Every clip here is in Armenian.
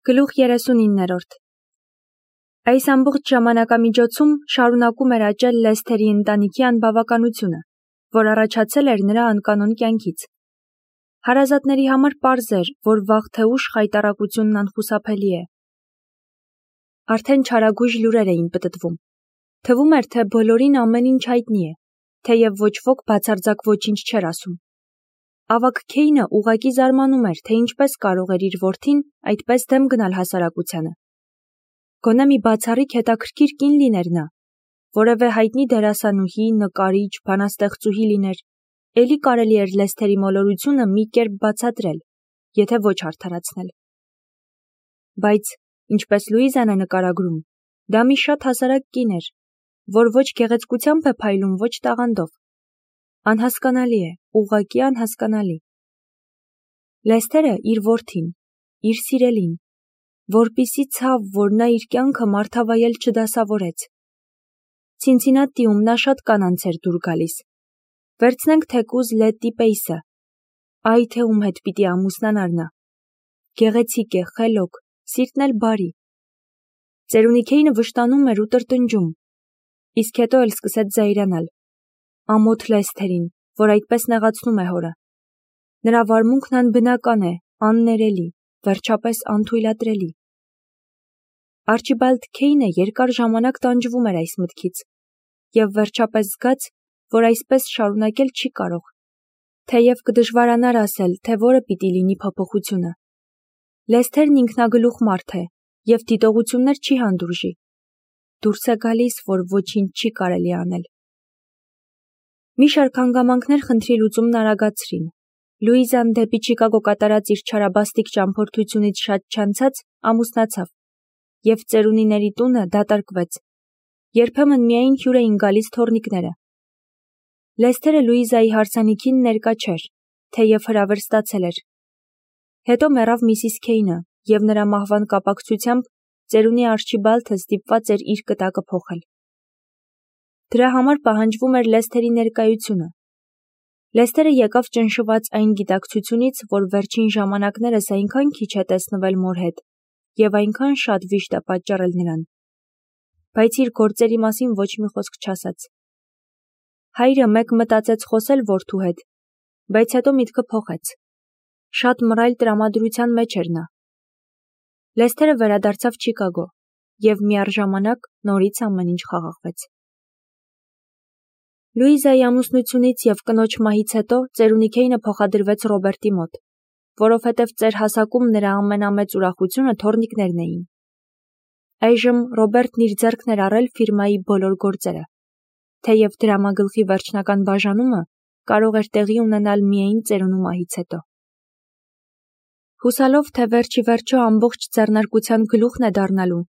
Գլուխ 39-րդ Այս ամբողջ ժամանակամիջոցում շարունակում էր աճել Լեսթերի ընտանիքի անբավականությունը, որ առաջացել էր նրա անկանոն կյանքից։ Հարազատների համար պարզ էր, որ վաղ թե ուշ խայտառակությունն անխուսափելի է։ Արդեն չարագույժ լուրեր էին պտտվում։ Թվում էր, թե բոլորին ամեն ինչ հայտնի է, թեև ոչ ոք բացարձակ ոչինչ չէր ասում։ Ավագ Քեյնը ուղղակի զարմանում էր, թե ինչպես կարող էր իր որդին այդպես դեմ գնալ հասարակությանը։ Գոնե մի բացառիկ հետաքրքիր կին լիներ նա, որևէ հայտնի դերասանուհի, նկարիչ, բանաստեղծուհի լիներ, էլի կարելի էր Լեսթերի մոլորությունը մի կերպ բացատրել, եթե ոչ արդարացնել։ Բայց, ինչպես Լուիզան է նկարագրում, դա մի շատ հասարակ կին էր, որ ոչ գեղեցկությամբ է փայլում, ոչ տաղանդով։ Անհասկանալի է, ուղղակի անհասկանալի։ Լեսթերը իր որդին, իր սիրելին, որպիսի ցավ, որ նա իր կյանքը մարդավայել չդասավորեց։ Ցինցինատիում նա շատ կանանց էր դուր գալիս։ Վերցնենք թեկուզ Լետտի Պեյսը, այ թե ում հետ պիտի ամուսնանար նա։ Գեղեցիկ է, խելոք, սիրտն էլ բարի։ Ծերունի Քեյնը վշտանում էր ու տրտնջում, իսկ հետո էլ սկսեց զայրանալ։ Ամոթ Լեսթերին, որ այդպես նեղացնում է հորը։ Նրա վարմունքն անբնական է, աններելի, վերջապես անթույլատրելի։ Արչիբալդ Քեյնը երկար ժամանակ տանջվում էր այս մտքից, և վերջապես զգաց, որ այսպես շարունակել չի կարող, թեև կդժվարանար ասել, թե որը պիտի լինի փոփոխությունը։ Լեսթերն ինքնագլուխ մարդ է և դիտողություններ չի հանդուրժի։ Դուրս է գալիս, որ ոչինչ չի կարելի անել։ Մի շարք հանգամանքներ խնդրի լուծումն արագացրին։ Լուիզան դեպի Չիկագո կատարած իր չարաբաստիկ ճամփորդությունից շատ չանցած ամուսնացավ, և ծերունիների տունը դատարկվեց։ Երբեմն միայն հյուր էին գալիս թոռնիկները։ Լեսթերը Լուիզայի հարսանիքին ներկա չէր, թեև հրավեր ստացել էր։ Հետո մեռավ Միսիս Քեյնը, և նրա մահվան կապակցությամբ ծերունի Արչիբալդը ստիպված էր իր կտակը փոխել։ Դրա համար պահանջվում էր Լեսթերի ներկայությունը։ Լեսթերը եկավ ճնշված այն գիտակցությունից, որ վերջին ժամանակներս այնքան քիչ է տեսնվել մոր հետ, և այնքան շատ վիշտ է պատճառել նրան։ Բայց իր գործերի մասին ոչ մի խոսք չասաց։ Հայրը մեկ մտածեց խոսել որդու հետ, բայց հետո միտքը փոխեց։ Շատ մռայլ տրամադրության մեջ էր նա։ Լեսթերը վերադարձավ Չիկագո, և միառժամանակ նորից ամեն ինչ խաղաղվեց։ Լուիզայի ամուսնությունից և կնոջ մահից հետո ծերունի Քեյնը փոխադրվեց Ռոբերտի մոտ, որովհետև ծեր հասակում նրա ամենամեծ ուրախությունը թոռնիկներն էին։ Այժմ Ռոբերտն իր ձեռքն էր առել ֆիրմայի բոլոր գործերը, թեև դրամագլխի վերջնական բաժանումը կարող էր տեղի ունենալ միայն ծերունու մահից հետո։ Հուսալով, թե վերջ ի վերջո ամբողջ ձեռնարկության գլուխն է դառնալու,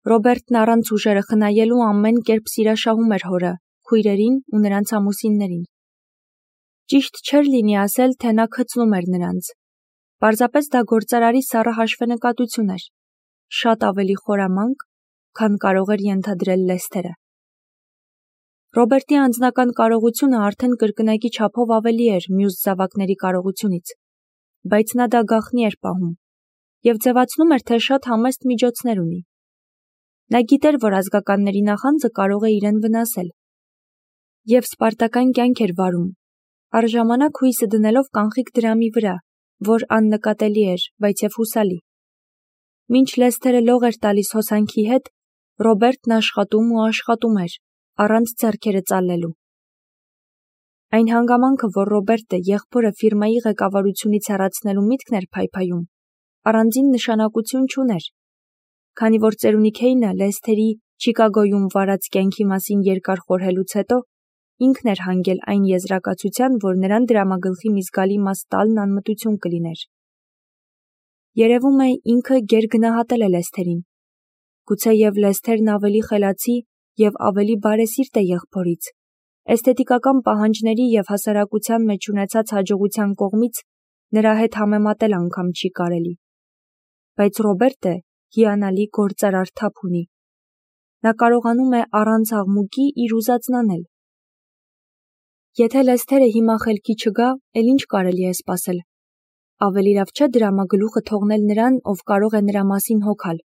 Ռոբերտն առանց ուժերը խնայելու ամեն կերպ սիրաշահում էր հորը, քույրերին ու նրանց ամուսիններին։ Ճիշտ չէր լինի ասել, թե նա քծնում էր նրանց։ Պարզապես դա գործարարի սառը հաշվենկատություն էր, շատ ավելի խորամանկ, քան կարող էր ենթադրել Լեսթերը։ Ռոբերտի անձնական կարողությունը արդեն կրկնակի չափով ավելի էր մյուս զավակների կարողությունից, բայց նա դա գաղտնի էր պահում և ձևացնում էր, թե շատ համեստ միջոցներ ունի։ Նա գիտեր, որ ազգականների նախանձը կարող է իրեն վնասել, և սպարտական կյանք էր վարում, առժամանակ հույսը դնելով կանխիկ դրամի վրա, որ աննկատելի էր, բայց և հուսալի։ Մինչ Լեսթերը լող էր տալիս հոսանքի հետ, Ռոբերտն աշխատում ու աշխատում էր, առանց ձեռքերը ծալելու։ Այն հանգամանքը, որ Ռոբերտը եղբորը ֆիրմայի ղեկավարությունից հեռացնելու միտքն էր փայփայում, առանձին նշանակություն չուներ, քանի որ ծերունի Քեյնը Լեսթերի Չիկագոյում վարած կյանքի մասին երկար խորհելուց հետո ինքն էր հանգել այն եզրակացության, որ նրան դրամագլխի մի զգալի մաս տալն անմտություն կլիներ։ Երևում է ինքը գերգնահատել է Լեսթերին։ Գուցեև Լեսթերն ավելի խելացի և ավելի բարեսիրտ է եղբորից, էսթետիկական պահանջների և հասարակության մեջ ունեցած հաջողության կողմից նրա հետ համեմատել անգամ չի կարելի։ Բայց Ռոբերտը հիանալի գործարար թափ ունի։ Նա կարողանում է առանց աղմուկի իր ուզածն անել։ Եթե Լեսթերը հիմա խելքի չգա, էլ ինչ կարելի է սպասել։ ավելի լավ չէ դրամագլուխը թողնել նրան, ով կարող է նրա մասին հոգալ։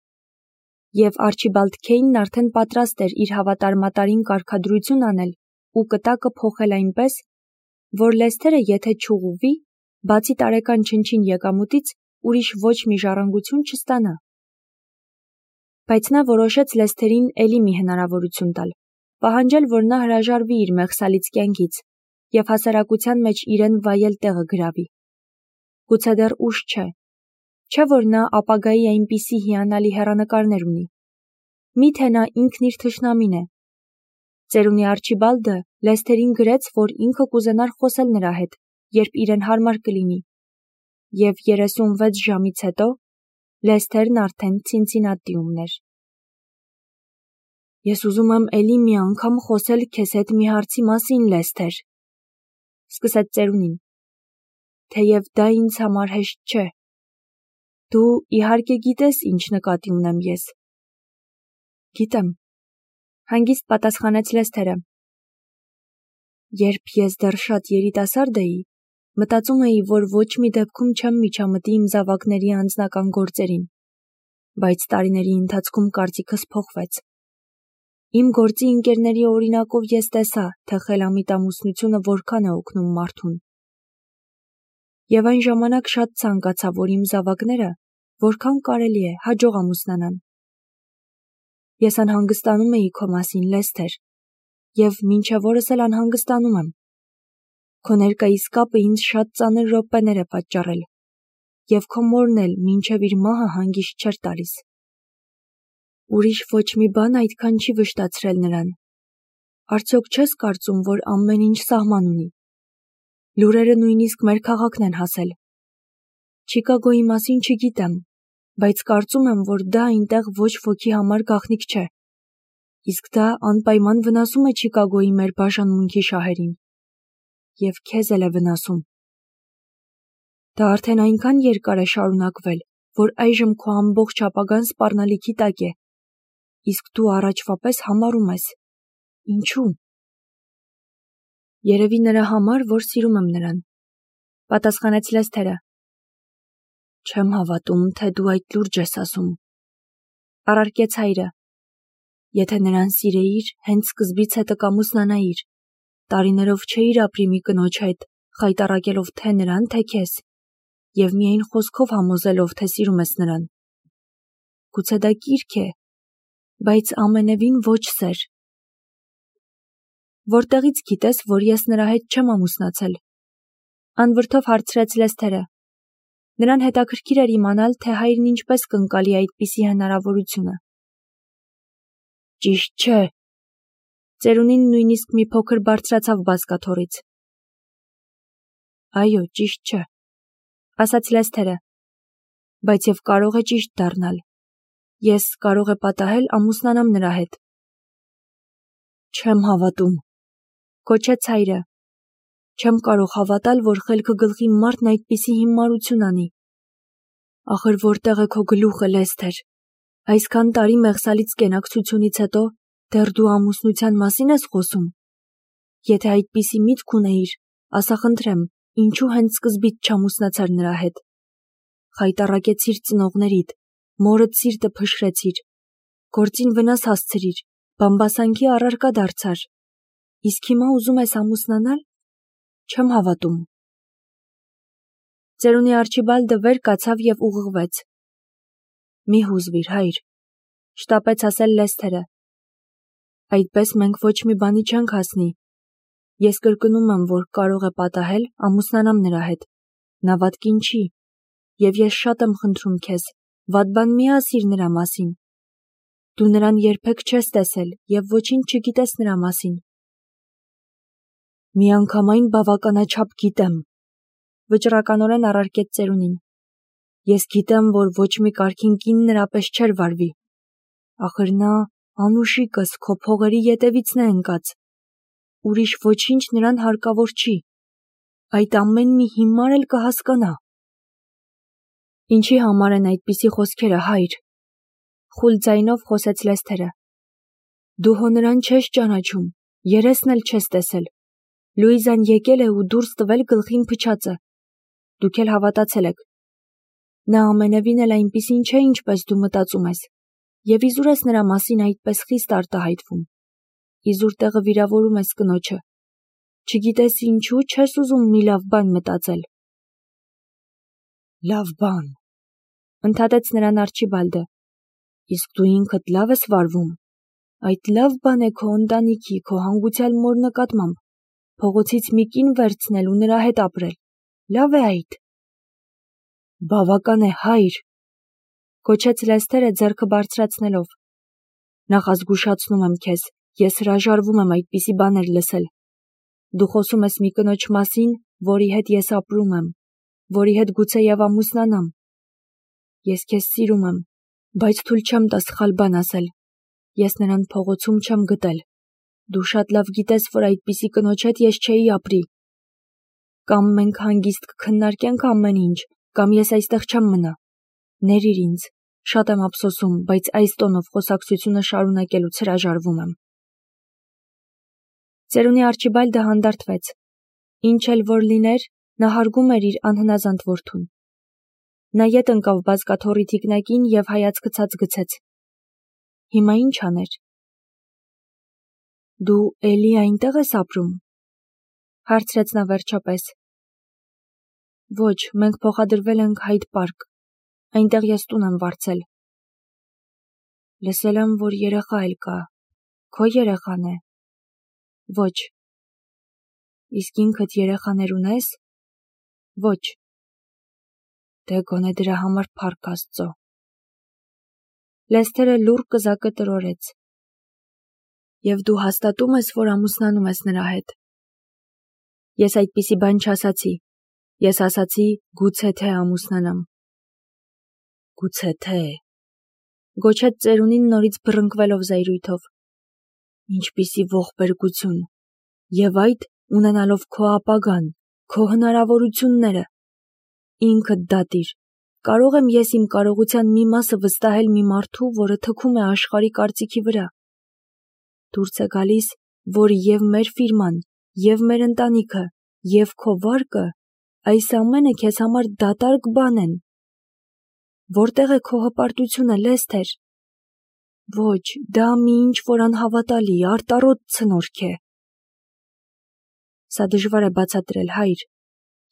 Եվ Արչիբալդ Քեյնն արդեն պատրաստ էր իր հավատարմատարին կարգադրություն անել ու կտակը փոխել այնպես, որ Լեսթերը եթե չուղղվի, բացի տարեկան չնչին եկամուտից, ուրիշ ոչ մի ժառանգություն չստանա։ Բայց նա որոշեց Լեսթերին էլի մի հնարավորություն տալ, պահանջել, որ նա հրաժարվի իր մեղսալից կյանքից և հասարակության մեջ իրեն վայել տեղը գրավի։ Գուցե դեռ ուշ չէ, չէ որ նա ապագայի այնպիսի հիանալի հեռանկարներ ունի։ Միթե նա ինքն իր թշնամին է։ Ծերունի Արչիբալդը Լեսթերին գրեց, որ ինքը կուզենար խոսել նրա հետ, երբ իրեն հարմար կլինի, և 36 ժամից հետո Լեսթերն արդեն Ցինցինատիում էր։ Ես ուզում եմ էլի մի անգամ խոսել քեզ հետ մի հարցի մասին, Լեսթեր, սկսեց ծերունին, թեև դա ինձ համար հեշտ չէ։ Դու իհարկե գիտես, ինչ նկատի ունեմ ես։ Գիտեմ, հանգիստ պատասխանեց Լեսթերը։ Երբ ես դեռ շատ երիտասարդ էի, մտածում էի, որ ոչ մի դեպքում չեմ միջամտի իմ զավակների անձնական գործերին, բայց տարիների ընթացքում կարծիքս փոխվեց։ Իմ գործի ընկերների օրինակով ես տեսա, թե խելամիտ ամուսնությունը որքան է օգնում մարդուն։ Եվ այն ժամանակ շատ ցանկացա, որ իմ զավակները, որքան կարելի է, հաջող ամուսնանան։ Ես անհանգստանում էի քո մասին, Լեսթեր, և մինչև օրս էլ անհանգստանում եմ։ Քո ներկայիս կապը ինձ շատ ծանր րոպեներ է պատճառել, և քո մորն էլ մինչև իր մահը հանգիստ չէր տալիս։ Ուրիշ ոչ մի բան այդքան չի վշտացրել նրան։ Արդյոք չես կարծում, որ ամեն ինչ սահման ունի։ Լուրերը նույնիսկ մեր քաղաքն են հասել։ Չիկագոյի մասին չգիտեմ, բայց կարծում եմ, որ դա այնտեղ ոչ ոքի համար գաղտնիք չէ։ Իսկ դա անպայման վնասում է Չիկագոյի մեր բաժանմունքի շահերին։ Եվ քեզ էլ է վնասում։ Դա արդեն այնքան երկար է շարունակվել, որ այժմ քո ամբողջ ապագան սպառնալիքի տակ է։ Իսկ դու առաջվա պես համարում ես։ Ինչու՞։ Երևի նրա համար, որ սիրում եմ նրան, պատասխանեց Լեսթերը։ Չեմ հավատում, թե դու այդ լուրջ ես ասում, առարկեց հայրը։ Եթե նրան սիրեիր, հենց սկզբից հետը կամուսնանայիր, տարիներով չէիր ապրի մի կնոջ հետ, խայտառակելով թե նրան, թե քեզ, և միայն խոսքով համոզելով, թե սիրում ես նրան։ Գուցե դա կիրք է, բայց ամենևին ոչ սեր։ Որտեղից գիտես, որ ես նրա հետ չեմ ամուսնացել։ Անվրդով հարցրեց Լեսթերը։ Նրան հետաքրքիր էր իմանալ, թե հայրն ինչպես կընկալի այդպիսի հնարավորությունը։ Ճիշտ չէ։ Ծերունին նույնիսկ մի փոքր բարձրացավ բազկաթոռից։ Այո, ճիշտ չէ, ասաց Լեսթերը, բայց և կարող է ճիշտ դառնալ։ Ես կարող է պատահել ամուսնանամ նրա հետ։ Չեմ հավատում, կոչեց հայրը։ Չեմ կարող հավատալ, որ խելքը գլխի մարդն այդպիսի հիմարություն անի։ Ախր որտեղ է քո գլուխը, Լեսթեր։ Այսքան տարի մեղսալից կենակցությունից հետո դեռ դու ամուսնության մասին ես խոսում։ Եթե այդպիսի միտք ունեիր, ասա խնդրեմ, ինչու հենց սկզբից չամուսնացար նրա հետ։ Խայտառակեցիր ծնողներիդ, մորդ սիրտը փշրեցիր, գործին վնաս հասցրիր, բամբասանքի առարկա դարձար։ Իսկ հիմա ուզում ես ամուսնանալ։ Չեմ հավատում։ Ծերունի Արչիբալդը վեր կացավ և ուղղվեց։ Մի հուզվիր, հայր, շտապեց ասել Լեսթերը։ Այդպես մենք ոչ մի բանի չենք հասնի։ Ես կրկնում եմ, որ կարող է պատահել ամուսնանամ նրա հետ։ Նա վատ կին չի, և ես շատ եմ խնդրում քեզ, վատ բան մի ասիր նրա մասին։ Դու նրան երբեք չես տեսել և ոչինչ չգիտես նրա մասին։ Միանգամայն բավականաչափ գիտեմ, վճռականորեն առարկեց ծերունին։ Ես գիտեմ, որ ոչ մի կարգին կին նրա պես չէր վարվի։ Ախր նա անուշիկս քո փողերի ետևիցն է ընկած։ Ուրիշ ոչինչ նրան հարկավոր չի։ Այդ ամեն մի հիմար էլ կհասկանա։ Ինչի համար են այդպիսի խոսքերը, հայր, խուլ ձայնով խոսեց Լեսթերը։ Դու հո նրան չես ճանաչում, երեսն էլ չես տեսել։ Լուիզան եկել է ու դուրս տվել գլխին փչածը։ Դուք էլ հավատացել եք։ Նա ամենևին էլ այնպիսին չէ, ինչպես դու մտածում ես, եւ իզուր ես նրա մասին այդպես խիստ արտահայտվում։ Իզուր տեղը վիրավորում ես կնոջը։ Չգիտես ինչու չես ուզում մի լավ բան մտածել։ Լավ բան, ընդհատեց նրան Արչիբալդը։ Իսկ դու ինքդ լավ ես վարվում։ Այդ լավ բան է քո ընտանիքի, քո հանգուցյալ մոր նկատմամբ, փողոցից մի կին վերցնել ու նրա հետ ապրել։ Լավ է այդ։ Բավական է, հայր, գոչեց Լեսթերը ձեռքը բարձրացնելով։ Նախազգուշացնում եմ քեզ, ես հրաժարվում եմ այդպիսի բաներ լսել։ Դու խոսում ես մի կնոջ մասին, որի հետ ես ապրում եմ, որի հետ գուցեև ամուսնանամ։ Ես քեզ սիրում եմ, բայց թույլ չեմ տա սխալ բան ասել։ Ես նրան փողոցում չեմ գտել։ Դու շատ լավ գիտես, որ այդպիսի կնոջ հետ ես չէի ապրի։ Կամ մենք հանգիստ կքննարկենք ամեն ինչ, կամ ես այստեղ չեմ մնա։ Ներիր ինձ, շատ եմ ափսոսում, բայց այս տոնով խոսակցությունը շարունակելուց հրաժարվում եմ։ Ծերունի Արչիբալդը հանդարտվեց։ Ինչ էլ որ լիներ, նա հարգում էր իր անհնազանդ որդուն։ Նա ետ ընկավ բազկաթոռի թիկնակին և հայացքը ցած գցեց։ Հիմա ինչ աներ։ Դու էլի այնտեղ ես ապրում, հարցրեց նա վերջապես։ Ոչ, մենք փոխադրվել ենք Հայդ պարկ, այնտեղ ես տուն եմ վարձել։ Լսել եմ, որ երեխա էլ կա, քո երեխան է։ Ոչ։ Իսկ ինքդ երեխաներ ունես։ Ոչ։ Դե գոնե դրա համար փառք Աստծո։ Լեսթերը լուռ կզակը տրորեց։ Եվ դու հաստատում ես, որ ամուսնանում ես նրա հետ։ Ես այդպիսի բան չասացի։ Ես ասացի, գուցե թե ամուսնանամ։ Գուցե թե, գոչեց ծերունին նորից բռնկվելով զայրույթով։ Ինչպիսի ողբերգություն։ Եվ այդ ունենալով քո ապագան, քո հնարավորությունները։ Ինքդ դատիր։ Կարող եմ ես իմ կարողության մի մասը վստահել մի մարդու, որը թքում է աշխարհի կարծիքի վրա։ Դուրս է գալիս, որ և մեր ֆիրման, և մեր ընտանիքը, և քո վարկը, այս ամենը քեզ համար դատարկ բան են։ Որտեղ է քո հպարտությունը, Լեսթեր։ Ոչ, դա մի ինչ-որ անհավատալի, արտառոտ ցնորք է։ Սա դժվար է բացատրել, հայր։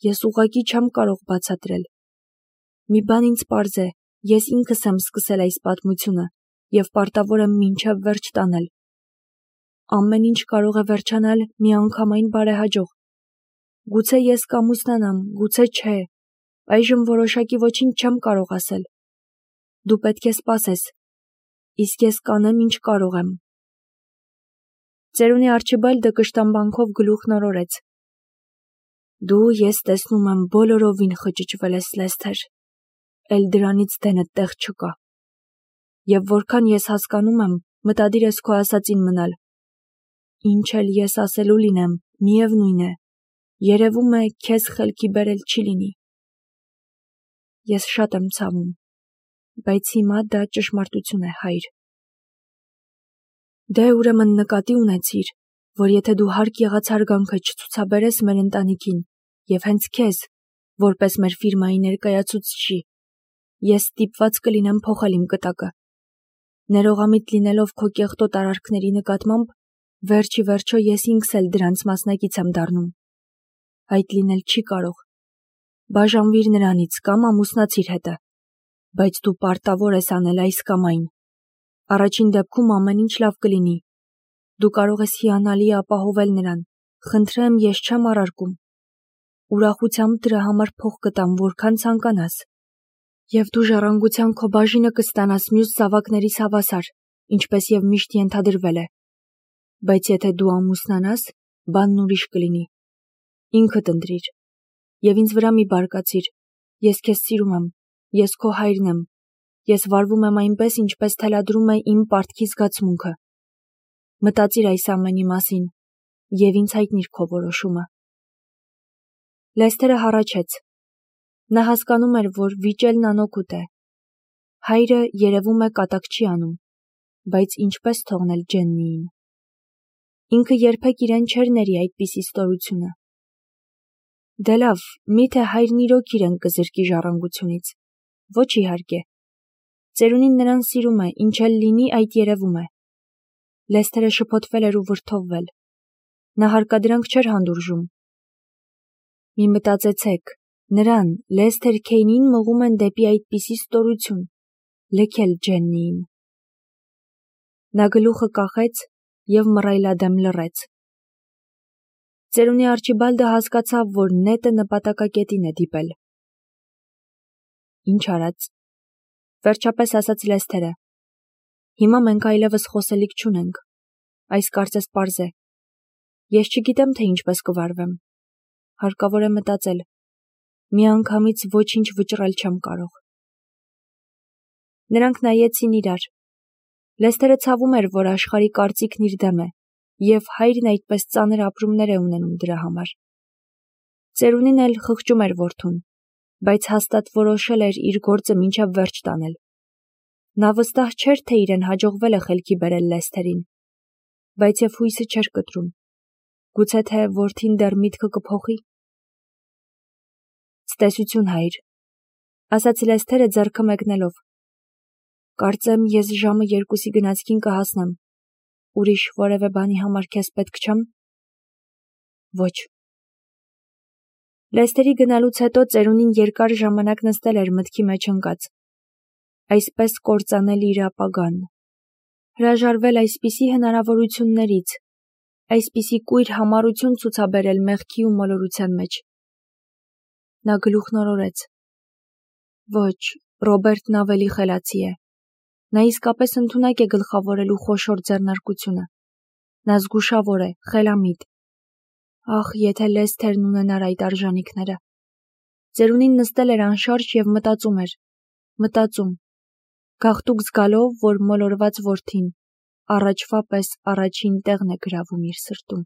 Ես ուղղակի չեմ կարող բացատրել։ Մի բան ինձ պարզ է, ես ինքս եմ սկսել այս պատմությունը և պարտավոր եմ մինչև վերջ տանել։ Ամեն ինչ կարող է վերջանալ միանգամայն բարեհաջող։ Գուցե ես կամուսնանամ, գուցե չէ։ Այժմ որոշակի ոչինչ չեմ կարող ասել։ Դու պետք է սպասես։ Իսկ ես կանեմ, ինչ կարող եմ։ Ծերունի Արչիբալդը կշտամբանքով գլուխն օրորեց։ Դու, ես տեսնում եմ, բոլորովին խճճվել ես, Լեսթեր։ Էլ դրանից դենդ տեղ չկա։ Եվ որքան ես հասկանում եմ, մտադիր ես քո ասածին մնալ։ Ինչ էլ ես ասելու լինեմ, միևնույն է, երևում է, քեզ խելքի բերել չի լինի։ Ես շատ եմ ցավում, բայց հիմա դա ճշմարտություն է, հայր։ Դե ուրեմն նկատի ունեցիր, որ եթե դու հարկ եղած հարգանքը չցուցաբերես մեր ընտանիքին և հենց քեզ, որպես մեր ֆիրմայի ներկայացուցիչի, ես ստիպված կլինեմ փոխել իմ կտակը։ Ներողամիտ լինելով քո կեղտոտ արարքների նկատմամբ, վերջի վերջո ես ինքս էլ դրանց մասնակից եմ դառնում։ Այդ լինել չի կարող։ Բաժանվիր նրանից կամ ամուսնացիր հետը, բայց դու պարտավոր ես անել այս կամ այն։ Առաջին դեպքում ամեն ինչ լավ կլինի։ Դու կարող ես հիանալի ապահովել նրան։ Խնդրեմ, ես չեմ առարկում։ Ուրախությամբ դրա համար փող կտամ, որքան ցանկանաս։ Եվ դու ժառանգության քո բաժինը կստանաս մյուս զավակներիս հավասար, ինչպես և միշտ ենթադրվել է։ Բայց եթե դու ամուսնանաս, բանն ուրիշ կլինի։ Ինքդ ընտրիր։ Եվ ինձ վրա մի բարկացիր։ Ես քեզ սիրում եմ։ Ես քո հայրն եմ։ Ես վարվում եմ այնպես, ինչպես թելադրում է իմ պարտքի զգացմունքը։ Մտածիր այս ամենի մասին և ինձ հայտնիր քո որոշումը։ Լեսթերը հառաչեց։ Նա հասկանում էր, որ վիճելն անօգուտ է։ Հայրը երևում է կատակ չի անում, բայց ինչպես թողնել Ջեննիին։ Ինքը երբեք իրեն չէր ների այդպիսի ստորությունը։ Դե լավ, միթե հայրն իրոք իրեն կզրկի ժառանգությունից։ Ոչ իհարկե։ Ծերունին նրան սիրում է, ինչ էլ լինի, այդ երևում է։ Լեսթերը շփոթվել էր ու վրդովվել։ Նա հարկադրանք չէր հանդուրժում։ Մի մտածեցեք, նրան, Լեսթեր Քեյնին մղում են դեպի այդպիսի ստորություն, լքել Ջեննիին։ Նա գլուխը կախեց և մռայլադեմ լռեց։ Ծերունի Արչիբալդը հասկացավ, որ նետը նպատակակետին է դիպել։ Ինչ արած, վերջապես ասաց Լեսթերը։ Հիմա մենք այլևս խոսելիք չունենք, այս կարծես պարզ է։ Ես չգիտեմ, թե ինչպես կվարվեմ։ Հարկավոր է մտածել։ Միանգամից ոչինչ վճռել չեմ կարող։ Նրանք նայեցին իրար։ Լեսթերը ցավում էր, որ աշխարհի կարծիքն իր դեմ է, և հայրն այդպես ծանր ապրումներ է ունենում դրա համար։ Ծերունին էլ խղճում էր որդուն, բայց հաստատ որոշել էր իր գործը մինչև վերջ տանել։ Նա վստահ չէր, թե իրեն հաջողվել է խելքի բերել Լեսթերին, բայց և հույսը չէր կտրում։ Գուցե թե որդին դեռ միտքը կփոխի։ Ցտեսություն, հայր, ասաց Լեսթերը ձեռքը մեկնելով։ Կարծեմ, ես ժամը 2-ի գնացքին կհասնեմ։ Ուրիշ որևէ բանի համար քեզ պետք չեմ։ Ոչ։ Լեսթերի գնալուց հետո ծերունին երկար ժամանակ նստել էր մտքի մեջ ընկած։ Այսպես կործանել իր ապագան։ Հրաժարվել այսպիսի հնարավորություններից, այսպիսի կույր համառություն ցուցաբերել մեղքի ու մոլորության մեջ։ Նա գլուխն օրորեց։ Ոչ, Ռոբերտն ավելի խելացի է։ Նա իսկապես ընդունակ է գլխավորելու խոշոր ձեռնարկությունը։ Նա զգուշավոր է, խելամիտ։ Ախ, եթե Լեսթերն ունենար այդ արժանինքները։ Ծերունին նստել էր անշարժ և մտածում էր։ Մտածում։ Գաղտուկ զգալով, որ մոլորված որդին առաջվա պես առաջին տեղն է գրավում իր սրտում։